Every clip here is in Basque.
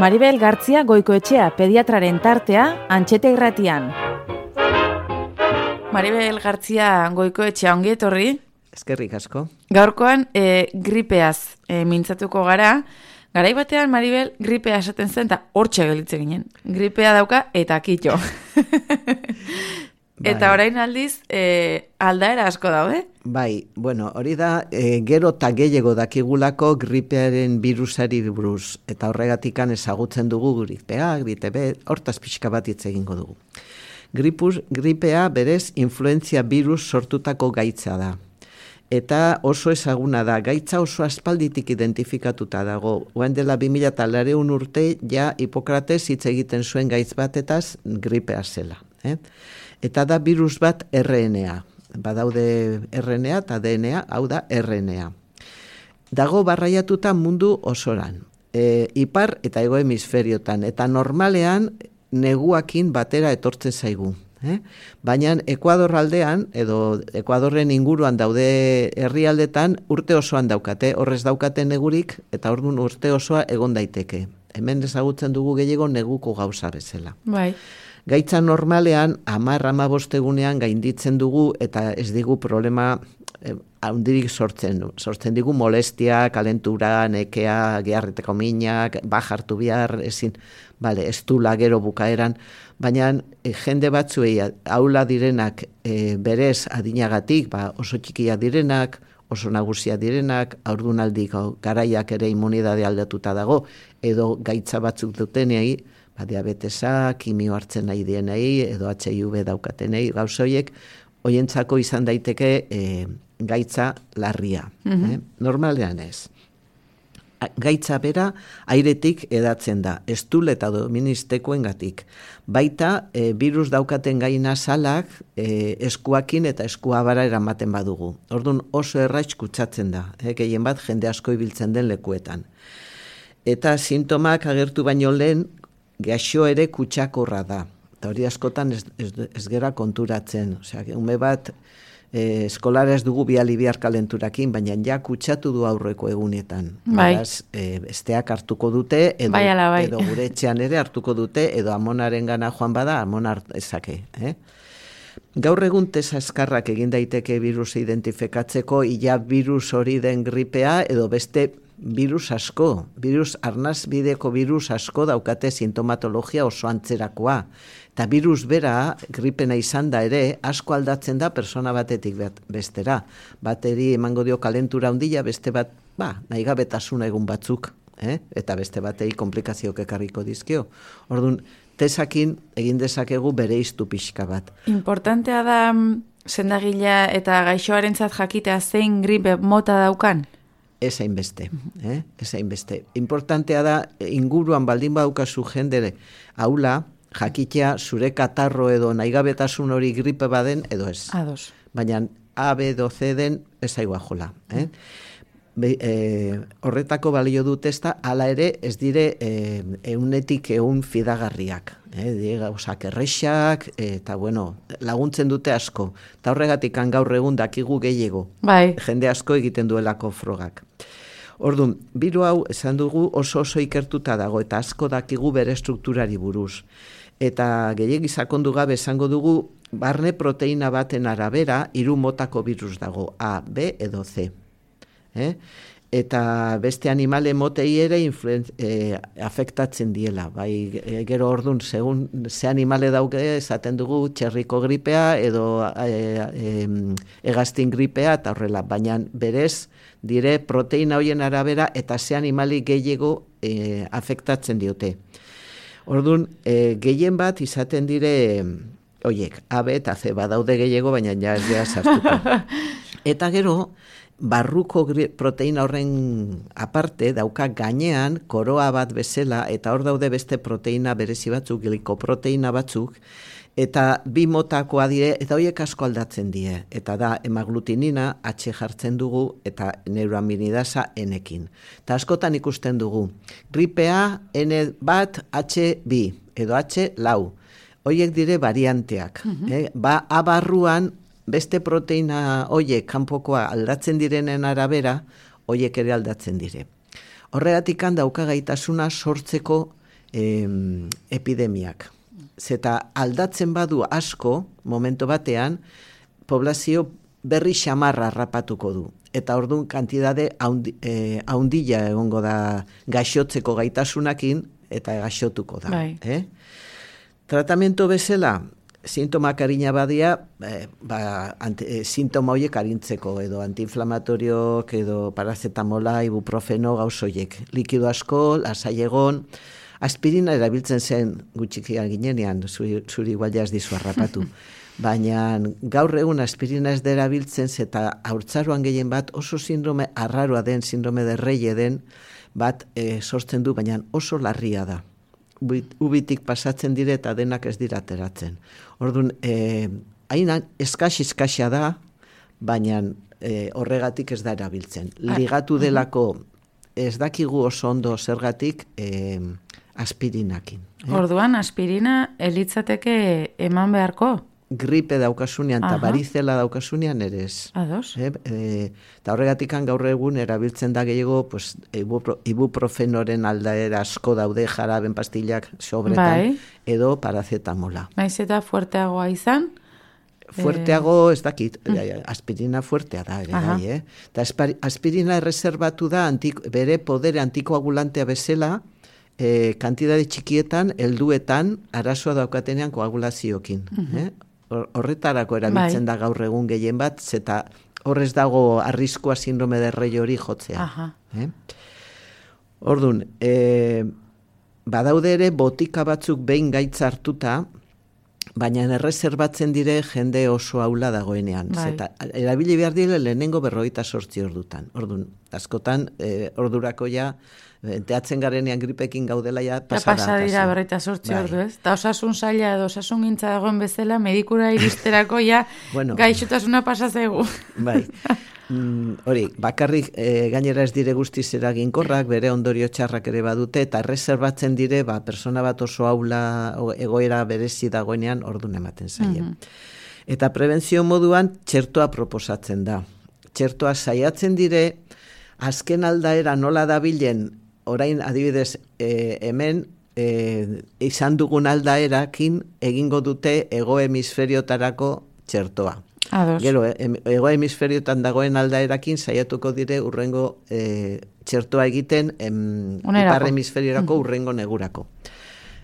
Maribel Gartzia Goikoetxea pediatraren tartea Antxete Irratian. Maribel Gartzia Goikoetxea ongi etorri. Eskerrik asko. Gaurkoan gripeaz mintzatuko gara. Garai batean Maribel gripea esaten zen eta hortxe gelitze ginen. Gripea dauka eta kitxo. Eta orain aldiz aldaera asko daude? Bai, bueno, hori da gero eta gehiago dakigulako gripearen virusari buruz. Eta horregatikan ezagutzen dugu gripea, gripe, hortaz pixka bat hitz egingo dugu. Gripea berez influentzia virus sortutako gaitza da. Eta oso ezaguna da, gaitza oso aspalditik identifikatuta dago. Oen dela 2000 urte ja Hipokrates hitz egiten zuen gaitz batetaz gripea zela. Eta da virus bat RNA. Badaude RNA eta DNA, hau da RNA. Dago barraiatuta mundu osoran. Ipar eta hego hemisferiotan. Eta normalean neguakin batera etortzen zaigu. Baina Ekuador aldean, edo Ekuadorren inguruan daude herrialdetan urte osoan daukate, horrez daukate negurik, eta orduan urte osoa egon daiteke. Hemen ezagutzen dugu gehiago neguko gauza bezala. Bai. Gaitza normalean, 10-15 egunean gainditzen dugu, eta ez digu problema handirik sortzen. Sortzen digu molestia, kalentura, nekea, geharreteko minak, bajartu bihar, ezin, ez du lagero bukaeran, baina jende batzuei aula direnak berez adinagatik, oso txikia direnak, oso nagusia direnak, haurdunaldiko garaiak ere immunidade aldatuta dago, edo gaitza batzuk dutenei, diabetesa, kimio hartzen nahi dienei, edo HIV daukatenei, gauzoiek, hoientzako izan daiteke gaitza larria. Normalean ez. Gaitza bera airetik edatzen da, estul eta doministekoengatik. Baita, virus daukaten gaina salak eskuakin eta eskuabara eramaten badugu. Orduan oso erraitz kutsatzen da, gehien bat jende asko ibiltzen den lekuetan. Eta sintomak agertu baino lehen, gaixo ere kutsakorra da. Eta hori askotan ez gera konturatzen. Osea, ume bat eskolara ez dugu biali bihar kalenturakin, baina ja kutsatu du aurreko egunetan. Beraz, besteak hartuko dute, edo gure etxean ere hartuko dute, edo amonaren gana joan bada, amon ezake. Gaur egun tesa eskarrak egin daiteke virus identifikatzeko, ia virus hori den gripea, edo beste virus asko, arnaz bideko virus asko daukate sintomatologia oso antzerakoa. Eta virus bera, gripena izan da ere, asko aldatzen da persona batetik bestera. Bateri emango dio kalentura handia, beste bat, nahigabetasuna egun batzuk, eta beste batei komplikazioak ekarriko dizkio. Orduan, tesakin egin dezakegu bere iztu pixka bat. Importantea da sendagila eta gaixoarentzat jakitea zein gripe mota daukan? Ez hainbeste. Importantea da, inguruan baldin badaukazu jendere aula, jakitea zure katarro edo naigabetasun hori gripe baden edo ez. Ados. Baina A, B edo C den ez aigua jola. Horretako balio dut ez da, ala ere ez dire eunetik eun fidagarriak. Gauzak errexak, eta laguntzen dute asko. Eta horregatik gaur egun dakigu gehiago. Bai. Jende asko egiten duelako frogak. Orduan, biru hau esan dugu oso ikertuta dago, eta asko dakigu bere strukturari buruz. Eta gehiegi sakondu gabe esango dugu, barne proteina baten arabera 3 motako virus dago, A, B edo C. Eta beste animale motei ere afektatzen diela. Gero orduan, segun ze animale dauke, esaten dugu txerriko gripea edo hegaztin gripea eta horrela. Baina berez dire proteina hoien arabera eta ze animali gehiago afektatzen diote. Orduan, gehien bat izaten dire oiek, A, B eta C badaude gehiago, baina ja ez dira sartuko. Eta gero, barruko proteina horren aparte dauka gainean koroa bat bezala eta hor daude beste proteina berezi batzuk, glikoproteina batzuk, eta 2 motakoa dire eta horiek asko aldatzen die. Eta da hemaglutinina H jartzen dugu eta neuraminidasa N-ekin. Eta askotan ikusten dugu. Gripea N1 H2 edo H4. Horiek dire varianteak. A barruan beste proteina horiek kanpokoa aldatzen direnen arabera, horiek ere aldatzen dire. Horregatik dauka gaitasuna sortzeko epidemiak. Zeta aldatzen badu asko, momento batean, poblazio berri xamarra rapatuko du. Eta orduan kantidade haundila egongo da gaixotzeko gaitasunakin, eta gaixotuko da. Tratamiento bezala, sintomak arina badia, sintoma horiek arintzeko, edo antiinflamatoriok, edo parazetamola, ibuprofeno, gauzoiek. Likido asko, lasai egon, aspirina erabiltzen zen gutxikian ginenean, zuri igual jaz dizu harrapatu. Baina gaur egun aspirina ez dela biltzen, eta haurtzaroan gehien bat oso sindrome arraroa den, sindrome de Reille den, bat sortzen du, baina oso larria da. Ubitik pasatzen dire eta denak ez dira ateratzen. Orduan, hain eskasia da, baina horregatik ez da erabiltzen. Ligatu delako ez dakigu oso ondo zergatik aspirinakin. Orduan, aspirina elitzateke eman beharko? Gripe daukasunean eta barizela daukasunean ere ez. Ados. Eta horregatik gaur egun erabiltzen da gehiago ibuprofenoren aldaera asko daude jaraben pastillak sobretan, edo parazetamola. Naiz eta fuerteagoa izan? Fuerteago ez dakit, aspirina fuertea da ere, Eta aspirina erreserbatu da bere podere antikoagulantea bezala, kantidade txikietan, helduetan, arazoa daukatenean koagulaziokin. Horretarako erabiltzen da gaur egun gehien bat, eta horrez dago arriskua sindrome de Reille hori jotzea. Orduan, badaude ere botika batzuk behin gaitza hartuta, baina erreserbatzen dire jende oso aula dagoenean. Erabili behar dire lehenengo 48 ordutan. Orduan, askotan, ordurako ja, teatzen garenean gripekin gaudela ja pasada. Pasa dira 48 ordu, ez? Eta osasun saila edo osasun gintza dagoen bezala, medikura iristerako ja gaixotasuna pasa zaigu. Bai. Hori, bakarrik gainera ez dire guztiz eraginkorrak, bere ondorio txarrak ere badute, eta erreserbatzen dire, persona bat oso aula egoera berezi dagoenean ordun ematen zaie. Eta prebentzio moduan txertoa proposatzen da. Txertoa saiatzen dire, azken aldaera nola dabilen, orain adibidez hemen izan dugun aldaerakin egingo dute hego hemisferiotarako txertoa. Gero, hego hemisferiotan dagoen aldaerakin saiatuko dire urrengo txertoa egiten ipar hemisferiorako urrengo negurako.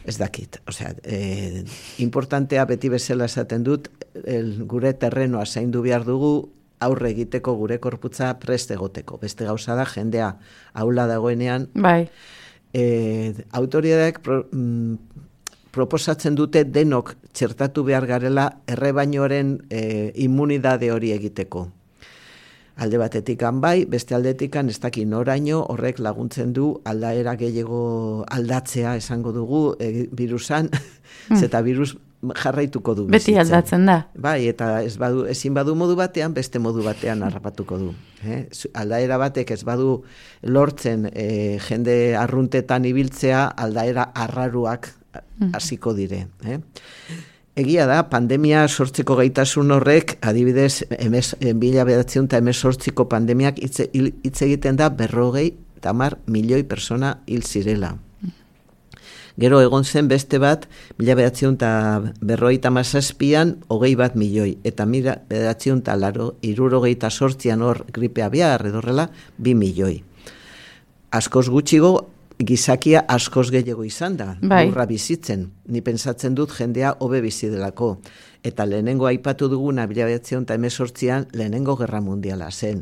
Ez dakit. Osea, importantea beti bezala esaten dut, gure terrenoa zaindu behar dugu, aurre egiteko gure korputza prest egoteko. Beste gauza da, jendea aula dagoenean. Autoridadeak proposatzen dute denok txertatu behar garela errebainoaren immunidade hori egiteko. Alde batetik bai, beste aldetik ez daki noraino horrek laguntzen du aldaera gehiago aldatzea esango dugu virusan, zeta virus jarraituko du bizitzen. Beti aldatzen da. Bai, eta ezin badu modu batean, beste modu batean harrapatuko du. Aldaera batek ez badu lortzen jende arruntetan ibiltzea, aldaera arraruak hasiko dire. Egia da, pandemia sortzeko gaitasun horrek, adibidez, 1918ko pandemiak hitz egiten da 50 milioi persona hil zirela. Gero egon zen beste bat, 1957an 21 milioi, eta 1978an hor gripe abiar edorrela 2 milioi. Askoz gutxigo, gizakia askoz gehiago izan da, burra bizitzen. Ni pentsatzen dut jendea hobe bizi delako. Eta lehenengo aipatu duguna 1918an lehenengo gerra mundiala zen.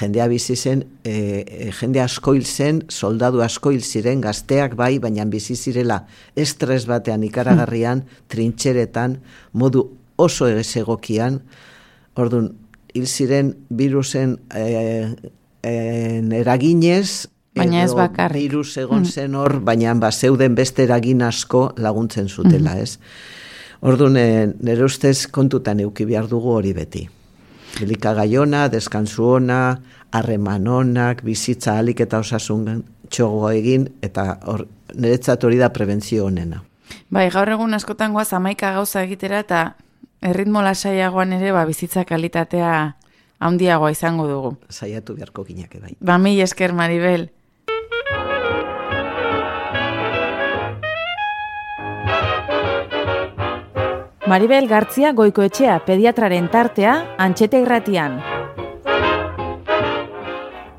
Jendea bizi zen, jende asko hil zen, soldadu asko hil ziren, gazteak bai, baina bizi zirela estres batean ikaragarrian, trintxeretan, modu oso egokian. Orduan, hil ziren virusen eraginez, baina ez bakarrik. Virus egon zen hor, baina zeuden beste eragin asko laguntzen zutela, ez? Orduan, nire ustez kontutan euki behar dugu hori beti. Elikagai ona, deskansu ona, harreman onak, bizitza alik eta osasun txogo egin, eta niretzat hori da prebentzio honena. Bai, gaur egun askotan goaz 11 gauza egitera, eta erritmo lasaiagoan ere bizitza kalitatea handiagoa izango dugu. Saiatu beharko ginake bai. Mil esker, Maribel. Maribel Gartzia Goikoetxea pediatraren tartea Antxeta Irratian.